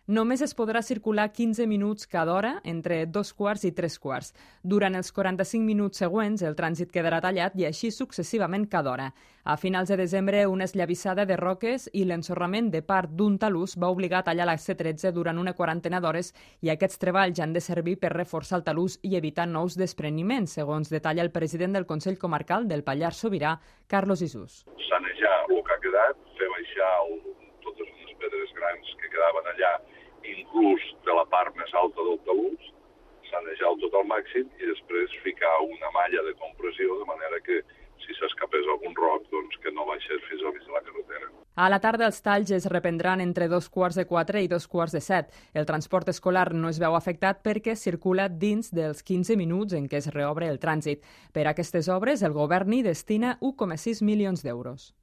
Només es podrà circular 15 minuts cada hora entre 2 quarts i 3 quarts. Durant els 45 minuts següents, el trànsit quedarà tallat i així successivament cada hora. A finals de desembre, una esllavissada de roques i l'ensorrament de part d'un talús va obligar a tallar la C13 durant una quarantena d'hores i aquests treballs han de servir per reforçar el talús i evitar nous despreniments, segons detalla el president del Consell Comarcal del Pallars Sobirà, Carlos Isús. Sanejar el que ha quedat, fer baixar totes les pedres grans que quedaven allà, inclús de la part més alta del talús, sanejar-lo tot al màxim i després ficar una malla de compressió de manera que si s'escapés algun roc, doncs que no baixés fins al mig de la carretera. A la tarda els talls es reprendran entre 2 quarts de 4 i 2 quarts de 7. El transport escolar no es veu afectat perquè circula dins dels 15 minuts en què es reobre el trànsit. Per a aquestes obres, el govern hi destina 1,6 milions d'euros.